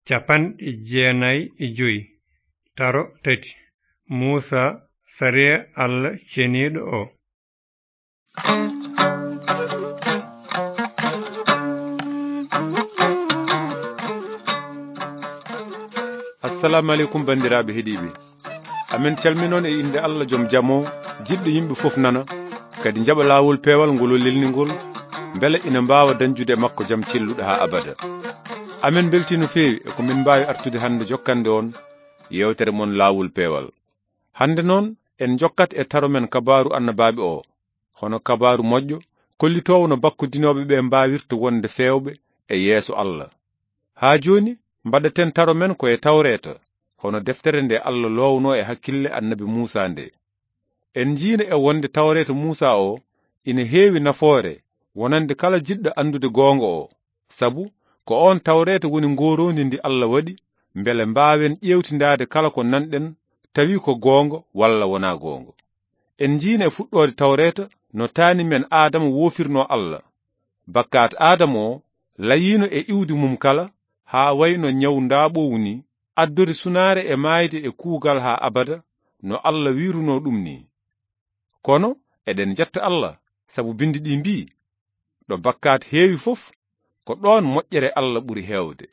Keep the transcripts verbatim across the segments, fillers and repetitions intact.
Capanɗe jeenayi e joy, taro tati. Muusa, sariya Alla ceniiɗo o. Assalamu aleykum, banndiraaɓe heɗiiɓe. Amen calminon e innde Alla joom jam o, jiɗɗo yimɓe fof nana, kadi njaɓa laawol peewal ngol o lelni ngol, mbele ina mbaawa dañjude e makko jam celluɗo haa abada. Amen mbeltii no feewi e ko min mbaawi artude hannde jokkande on yeewtere mon Laawol Peewal. Hannde noon, en njokkat e taro men kabaaru annabaaɓe o, hono kabaaru moƴƴo kollitoowo no bakkudinooɓe ɓe mbaawirta wonde feewɓe e yeeso Alla. Haa jooni, mbaɗaten taro men ko e Tawreeta, hono deftere nde Alla loowno e hakkille annabi Muusa nde. En njiino e wonde Tawreeta Muusa o ina heewi nafoore wonande kala jiɗɗo anndude goonga o, sabu ko oon Tawreeta woni ngooroondi ndi Alla waɗi, mbele mbaawen ƴeewtindaade kala ko nanɗen, tawi ko goonga walla wonaa goonga. En njiino e fuɗɗoode Tawreeta no taani men Aadama woofirnoo Alla. Bakkaat Aadama o layiino e iwdi mum kala, haa wayno ñaw ndaaɓoowu ni, addori sunaare e maayde e kuugal haa abada, no Alla wiirunoo ɗum ni. Kono eɗen njetta Alla, sabu Binndi ɗi mbii, "Ɗo bakkaat heewi fof, ko ɗoon moƴƴere Alla ɓuri heewde."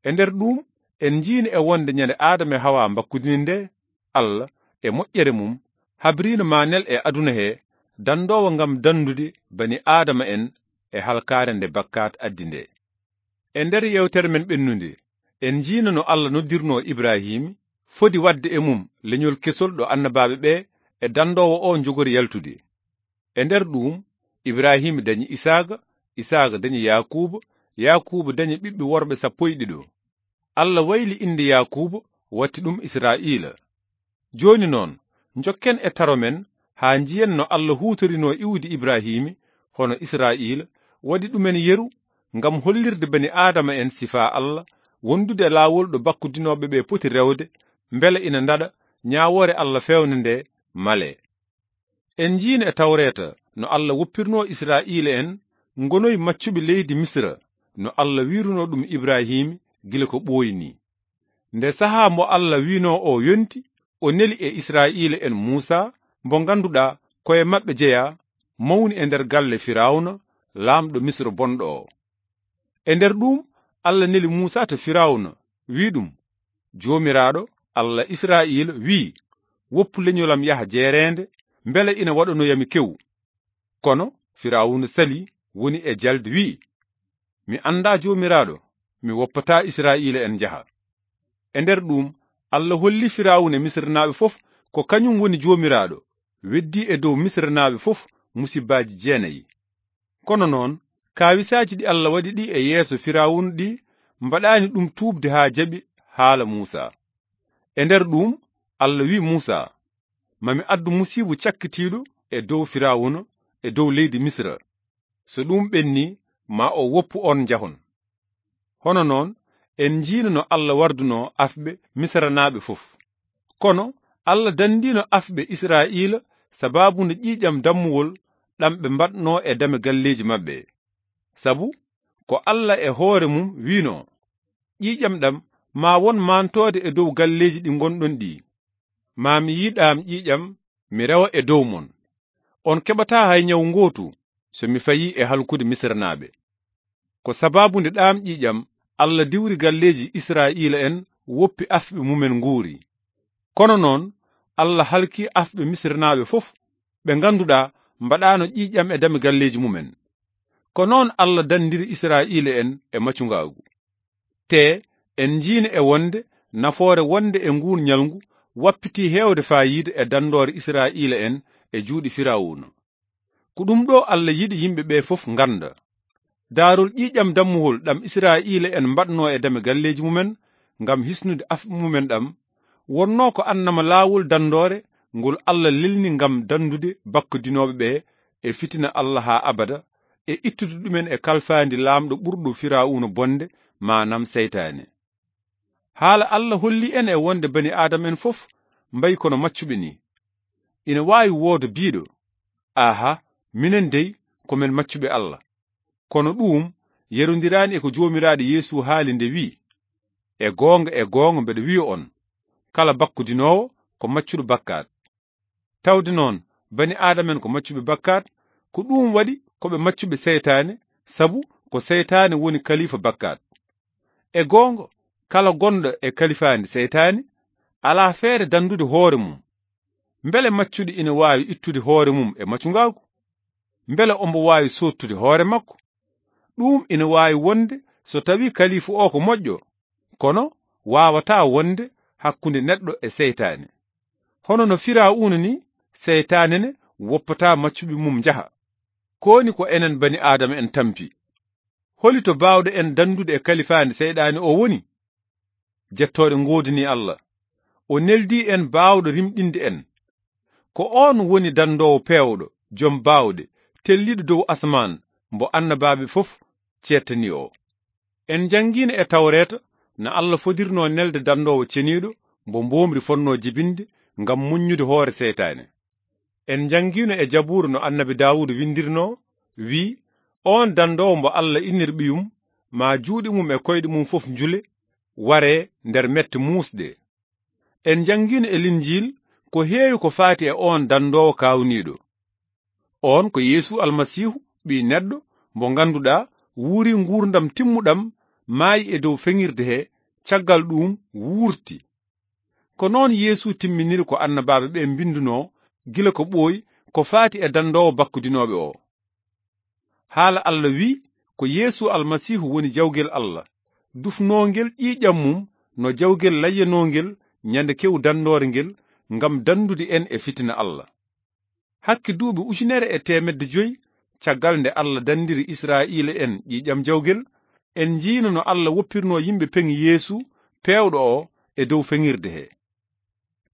E nder ɗuum, en njiino e wonde ñande Aadama e Hawa mbakkudini nde, Alla, e moƴƴere mum, habriino ma nel e aduna he danndoowo ngam danndude bani Aadama en e halkaare nde bakkaat addi nde. E nder yeewtere men ɓennunde, en njiino no Alla noddirnoo Ibraahiima fodi waɗde e mum leñol kesol ɗo annabaaɓe ɓe e danndoowo o njogori yaltude. E nder ɗuum, Ibraahiima dañi Isaaqa, Isaaqa dañi Yaakuuba, Yaakuuba dañi ɓiɓɓe worɓe sappo e ɗiɗo. Alla wayli innde Yaakuuba, watti ɗum Israa'iila. Jooni noon, njokken e taro men haa njiyen no Alla huutorinoo iwdi Ibraahiima hono Israa'iila, waɗi ɗumen yeru ngam hollirde bani Aadama en sifaa Alla, wondude e laawol ɗo bakkudinooɓe ɓe poti rewde, mbele ina ndaɗa ñaawoore Alla feewnde nde malee. En njiino e Tawreeta no Alla woppirnoo Israa'iila en ngonoy maccuɓe leydi Misra, no Alla wiirunoo ɗum Ibraahiima gila ko ɓooyi ni. Nde sahaa mo Alla wiinoo o yonti, o neli e Israa'iila en Muusa, mo ngannduɗaa ko e maɓɓe jeyaa, mawni e nder galle Firawna, laamɗo Misra bonɗo o. E nder ɗuum, Alla neli Muusa to Firawna, wi'i ɗum, "Joomiraaɗo, Alla Israa'iila wi'i, 'Woppu leñolam yaha jeereende, mbele ina waɗanoyami kewu.'" Kono Firawna salii, woni e jalde, wi'i, "Mi anndaa Joomiraaɗo, mi woppataa Israa'iila en njaha." E nder ɗuum, Alla holli Firawna e Misirnaaɓe fof ko kañum woni Joomiraaɗo, weddii e dow Misirnaaɓe fof musibbaaji jeenayi. Kono noon, kaawisaaji ɗi Alla waɗi ɗi e yeeso Firawna ɗi mbaɗaani ɗum tuubde haa jaɓi haala Muusa. E nder ɗuum, Alla wi'i Muusa, "Ma mi addu musiibu cakkitiiɗo e dow Firawna, e dow leydi Misra. So ɗum ɓenni, ma o woppu on njahon." Hono noon, en njiino no Alla wardunoo afɓe Misranaaɓe fof. Kono Alla dandiino afɓe Israa'iila sabaabu nde ƴiiƴam dammuwol ɗam ɓe mbaɗnoo e dame galleeji maɓɓe. Sabu ko Alla e hoore mum wiinoo, "Ƴiiƴam ɗam maa won maantoode e dow galleeji ɗi ngonɗon ɗi. Maa mi yiɗaam ƴiiƴam, mi rewa e dow mon. On keɓataa hay ñaw ngootu so mi fayii e halkude Misranaaɓe." Ko sabaabu nde ɗaam ƴiiƴam Alla diwri galleeji Israa'iila en, woppi afɓe mumen nguuri. Kono noon, Alla halki afɓe Misranaaɓe fof, ɓe ngannduɗaa mbaɗaano ƴiiƴam e dame galleeji mumen. Ko noon Alla dandiri Israa'iila en e macungaagu. Te en njiino e wonde nafoore wonde e nguun ñalngu wappitii heewde faayiida e danndoore Israa'iila en e juuɗe Firawuna. Ko ɗum ɗo Alla yiɗi yimɓe ɓe fof ngannda. Daarol ƴiiƴam dammuwol ɗam Israa'iila en mbaɗnoo e dame galleeji mumen ngam hisnude afɓe mumen ɗam, wonnoo ko annama laawol danndoore ngol Alla lelni ngam danndude bakkudinooɓe ɓe e fitina Alla haa abada, e ittude ɗumen e kalfaandi laamɗo ɓurɗo Firawuna bonde, maanam seytaane. Haala Alla holli en e wonde bani Aadama en fof mbayi kono maccuɓe ni. Ina waawi wooda biiɗo, "Aha, minen dey ko men maccuɓe Alla." Kono ɗuum yerondiraani e ko Joomiraaɗo Yeesu haali nde wi'i, E goonga, e goonga, mbeɗa wiya on, kala bakkudinoowo ko maccuɗo bakkaat. Tawde noon, bani aadama en ko maccuɓe bakkaat, ko ɗum waɗi ko ɓe maccuɓe seytaane, sabu ko seytaane woni kalifa bakkaat. E goonga, kala gonɗo e kalifaandi seytaane, alaa feere danndude hoore mum. Mbele maccuɗo ina waawi ittude hoore mum e maccungaagu? Mbele ombo waawi soottude hoore makko? Ɗum ina waawi wonde so tawii kalifu o ko moƴƴo, kono waawataa wonde hakkunde neɗɗo e seytaane. Hono no Firawuna ni, seytaane ne woppataa maccuɓe mum njaha. Kooni ko enen bani aadama en tampi. Holi to baawɗo en danndude e kalifaandi seyɗaani o woni? Jettooɗe ngoodani Allah. O neldi en baawɗo rimɗinde en. Ko oon woni danndoowo peewɗo, jom baawɗe, telliiɗo dow asamaan, mbo annabaaɓe fof ceettani o. En njanngiino e Tawreeta no Allah fodirnoo nelde danndoowo ceniiɗo mbo mboomri fotnoo jibinde ngam muññude hoore seytaane. En njanngiino e Jabuura no annabi Daawuda winndirnoo, wii, oon danndoowo mbo Allah innir ɓiyum, maa juuɗe mum e koyɗe mum fof njule, waree nder mette muusɗe. En njanngiino e Linjiil ko heewi ko faati e oon danndoowo kaawniiɗo. Oon ko Yeesu Almasiihu, Ɓii Neɗɗo, mbo ngannduɗaa wuuri nguurndam timmuɗam, maayi e dow feŋirde he, caggal ɗuum wuurti. Ko noon Yeesu timminiri ko annabaaɓe ɓe mbinndunoo gila ko ɓooyi ko faati e danndoowo bakkudinooɓe o. Haala Allah wii, ko Yeesu Almasiihu woni jawgel Allah, dufnoongel ƴiiƴam mum no jawgel layyanoongel ñande kew danndoore ngel, ngam danndude en e fitina Allah. Hakke duuɓi ujunere e teemedde joy caggal nde Allah danndiri Israa'iila en ƴiiƴam jawgel, en njiino no Allah woppirnoo yimɓe peŋi Yeesu peewɗo o e dow feŋirde he.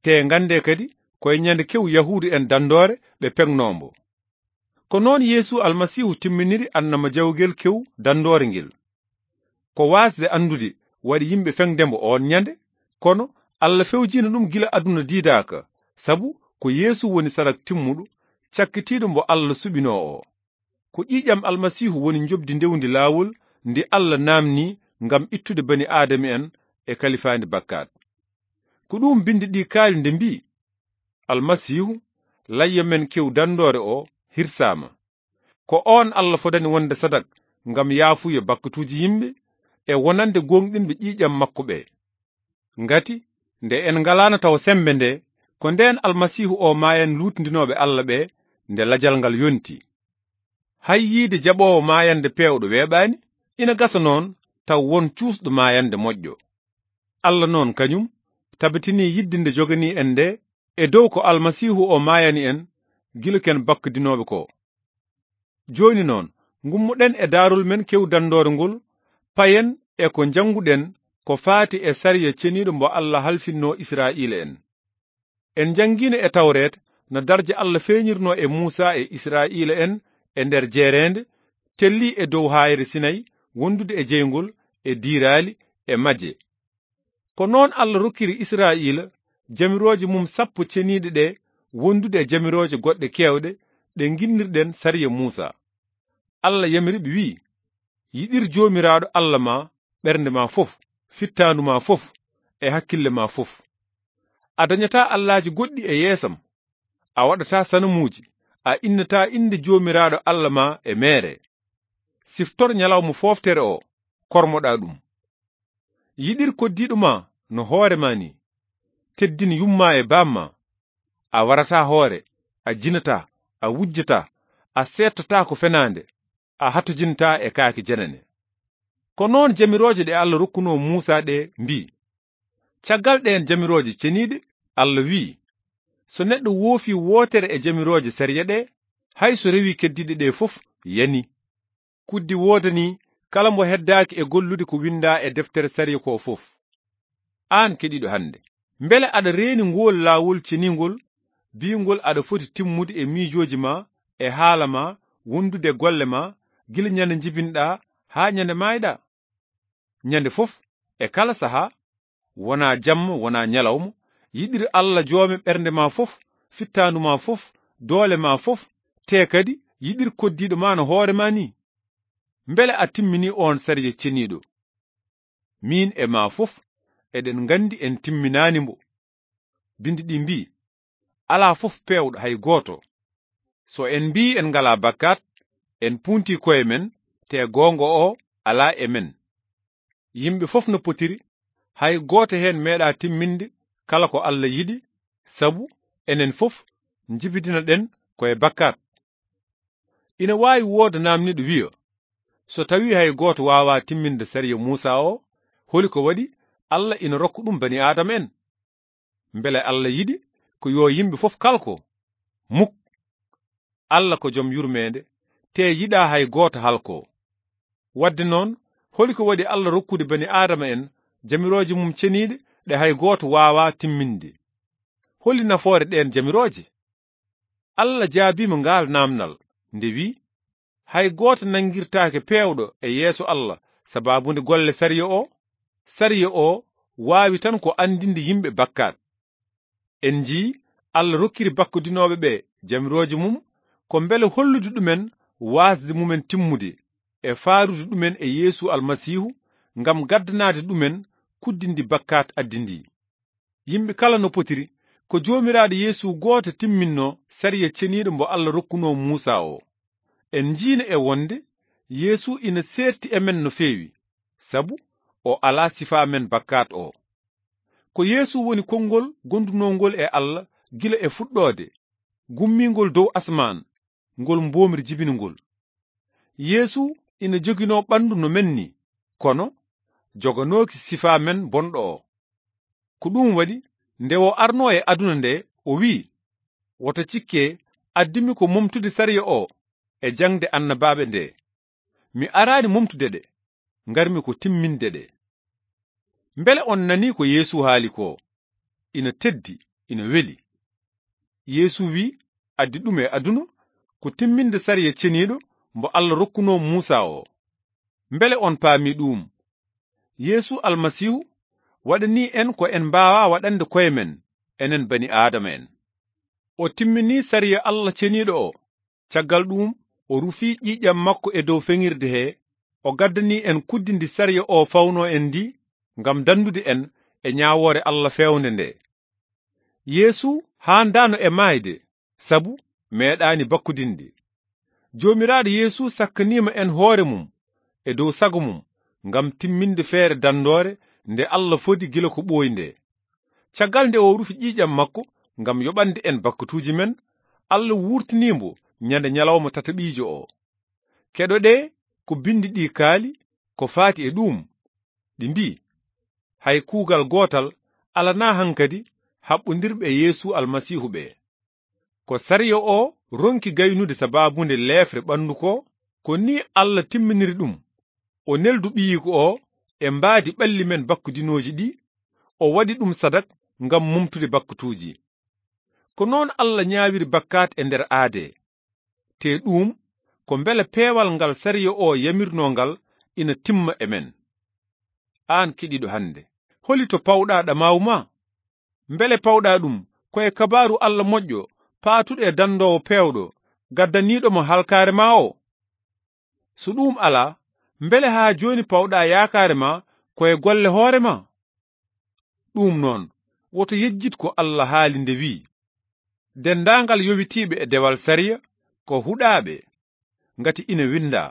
Te nganndee kadi, ko e ñande kew Yahuudu en danndoore ɓe peŋnoo mbo. Ko noon Yeesu Almasiihu timminiri annama jawgel kew danndoore ngel. Ko waasde anndude waɗi yimɓe feŋde mbo oon ñande, kono Allah fewjiino ɗum gila aduna diidaaka, sabu ko Yeesu woni sarak timmuɗo, cakkitiiɗo mbo Allah suɓinoo o. Ko ƴiiƴam Almasiihu woni njoɓdi ndewndi laawol ndi Allah naamnii ngam ittude bani aadama en e kalifaandi bakkaat. Ko ɗum binndi ɗi kaali nde mbii, Almasiihu, layya men kew danndoore o, hirsaama. Ko oon Allah fodani wonde sadak ngam yaafuya bakkatuuji yimɓe e wonande gooŋɗinɓe ƴiiƴam makko ɓe. Ngati, nde en ngalaano taw semmbe nde, ko ndeen Almasiihu o maayan luutndinooɓe Allah ɓe, nde lajal ngal yonti. Hay yiide jaɓoowo maayande peewɗo weeɓaani, ina gasa noon taw won cuusɗo maayande moƴƴo. Allah noon kañum tabitinii yidde nde joganii en nde e dow ko Almasiihu o maayani en gila ken bakkudinooɓe ko. Jooni noon, ngummoɗen e daarol men kew danndoore ngol, payen e ko njannguɗen ko faati e sariya ceniiɗo mbo Allah halfinnoo Israa'iila en. En njanngiino e Tawreeta no darja Allah feeñirnoo e Muusaa e Israa'iila en e nder jeereende, tellii e dow haayre Sinay, wondude e jeyngol, e diiraali, e majje. Ko noon Allah rokkiri Israa'iila jamirooje mum sappo ceniiɗe ɗe, wondude e jamirooje goɗɗe keewɗe ɗe nginnirɗen sariya Muusaa. Allah yamiri ɓe, wi'i, yiɗir Joomiraaɗo Allah ma ɓernde ma fof, fittaandu ma fof, e hakkille ma fof. A dañataa allaaji goɗɗi e yeesam. A waɗataa sanamuuji, a innataa innde Joomiraaɗo Allah ma e meere. Siftor ñalawma fooftere o, kormoɗaa ɗum. Yiɗir koddiiɗo ma no hoore ma ni. Teddin yumma e baamma. A warataa hoore, a jinataa, a wujjataa, a seettotaako fenaande, a hatojintaa e kaaki jenene. Ko noon jamirooje ɗe Allah rokkunoo Muusaa ɗe mbii. Caggal ɗeen jamirooje ceniiɗe, Allah wi'i, so neɗɗo woofii wootere e jamirooje sariya ɗe, hay so rewii keddiiɗe ɗe fof, yani. Kuddi woodanii kala mbo heddaaki e gollude ko winndaa e deftere sariya ko fof. Aan keɗiiɗo hannde, mbele aɗa reeni ngool laawol ceniingol, biingol aɗa foti timmude e miijooji ma, e haala ma, wondude e golle ma, gila ñande njibinɗaa haa ñande maayɗaa? Ñande fof, e kala sahaa, wonaa jamma, wonaa ñalawma, yiɗir Allah joome ɓernde ma fof, fittaandu ma fof, doole ma fof, te kadi yiɗir koddiiɗo ma no hoore ma ni. Mbele a timminii oon sariya ceniiɗo? Miin e maa fof, eɗen nganndi en timminaani mbo. Binndi ɗi mbii, "Alaa fof peewɗo hay gooto." So en mbii en ngalaa bakkaat, en puuntii koye men, te goonga o alaa e men. Yimɓe fof no potiri, hay gooto heen meeɗaa timminde kala ko Alla yiɗi, sabu enen fof njibidinoɗen ko e bakkaat. Ina waawi wooda naamniiɗo wiya, "So tawii hay gooto waawaa timminde sariya Muusaa o, holi ko waɗi Alla ina rokka ɗum bani Aadama en? Mbele Alla yiɗi ko yo yimɓe fof kalko?" Muk! Alla ko jom yurmeende, te yiɗaa hay gooto halko. Wadde noon, holi ko waɗi Alla rokkude bani Aadama en jamirooje mum ceniiɗe ɗe hay gooto waawaa timminde? Holi nafoore ɗeen jamirooje? Alla jaabiima ngaal naamnal nde wi'i, "Hay gooto nanngirtaake peewɗo e yeeso Alla sabaabu nde golle sariya o. Sariya o waawi tan ko anndinde yimɓe bakkaat." En njii Alla rokkiri bakkudinooɓe ɓe jamirooje mum ko mbele hollude ɗumen waasde mumen timmude e faarude ɗumen e Yeesu Almasiihu ngam gaddanaade ɗumen kuddi ndi bakkaat addi ndi. Yimɓe kala no potiri, ko Joomiraaɗo Yeesu gooto timminno sariya ceniiɗo mbo Alla rokkunoo Muusaa o. En njiino e wonde Yeesu ina seerti e men no feewi, sabu o alaa sifaa men bakkaat o. Ko Yeesu woni konngol gondunoo ngol e Alla gila e fuɗɗoode, gummiingol dow asmaan, ngol mboomri jibini ngol. Yeesu ina joginoo ɓanndu no men ni, kono joganooki sifaa men bonɗo o. Ko ɗum waɗi, nde o arnoo e aduna nde, o wi'i, "Woto cikke, addimi ko momtude sariya o e jaŋde annabaaɓe nde. Mi araani momtude ɗe, ngarmi ko timminde ɗe." Mbele on nanii ko Yeesu haali ko? Ina teddi, ina weli. Yeesu wi'i, addi ɗum e aduna ko timminde sariya ceniiɗo mbo Alla rokkunoo Muusaa o. Mbele on paami ɗum? Yeesu Almasiihu waɗanii en ko en mbaawaa waɗande koye men, enen bani Aadama en. O timminii sariya Alla ceniiɗo o. Caggal ɗum, o rufii ƴiiƴam makko e dow feŋirde he, o gaddanii en kuddi ndi sariya o fawnoo en ndi, ngam danndude en e ñaawoore Alla feewnde nde. Yeesu haandaano e maayde, sabu meeɗaani bakkudinde. Joomiraaɗo Yeesu sakkaniima en hoore mum e dow sago mum, ngam timminde feere danndoore nde Alla fodi gila ko ɓooyi nde. Caggal nde o rufi ƴiiƴam makko ngam yoɓande en bakkatuuji men, Alla wuurtinii mbo ñande ñalawma tataɓiijo o. Keɗoɗee ko binndi ɗi kaali ko faati e ɗuum. Ɗi mbii, "Hay kuugal gootal alanaa hankadi haɓɓondirɓe e Yeesu Almasiihu ɓe." Ko sariya o ronki gaynude sabaabunde leefre ɓanndu ko, ko ni Alla timminiri ɗum. O neldu ɓiyiiko o e mbaadi ɓalli men bakkudinooji ɗi, o waɗi ɗum sadak ngam mumtude bakkatuuji. Ko noon Alla ñaawiri bakkaat e nder aadee. Te ɗuum, ko mbele peewal ngal sariya o yamirnoo ngal ina timma e men. Aan keɗiiɗo hannde, holi to pawɗaa ɗamaawu ma? Mbele pawɗaa ɗum ko e kabaaru Alla moƴƴo, paatuɗo e danndoowo peewɗo, gaddaniiɗo mo halkaare ma o? So ɗuum alaa, mbele haa jooni pawɗaa yaakaare ma ko e golle hoore ma? Ɗuum noon, woto yejjit ko Alla haali nde wi'i, "Denndaangal yowitiiɓe e dewal sariya ko huɗaaɓe, ngati ina winndaa,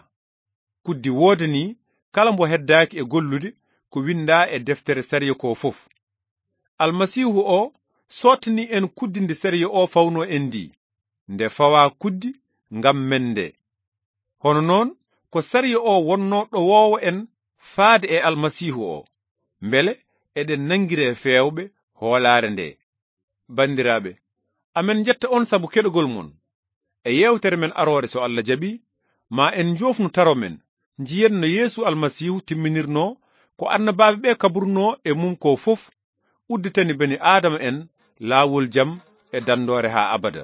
'Kuddi woodanii kala mbo heddaaki e gollude ko winndaa e deftere sariya ko fof.'" Almasiihu o sottani en kuddi ndi sariya o fawnoo en ndi, nde fawaa kuddi ngam men nde. Hono noon, ko sariya o wonnoo ɗowoowo en faade e Almasiihu o, mbele eɗen nanngiree feewɓe hoolaare nde. Banndiraaɓe, amen njetta on sabu keɗogol mon. E yeewtere men aroore, so Alla jaɓi, ma en njoofnu taro men, njiyen no Yeesu Almasiihu timminirnoo ko annabaaɓe ɓe kabrunoo e mum ko fof, udditani bani Aadama en laawol jam e danndoore haa abada.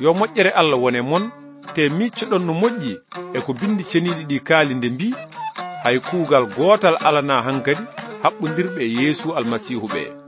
Yo moƴƴere Alla wone mon, te miiccoɗon no moƴƴi e ko Binndi Ceniiɗi ɗi kaali nde mbii, "Hay kuugal gootal alanaa hankadi haɓɓondirɓe e Yeesu Almasiihu ɓe."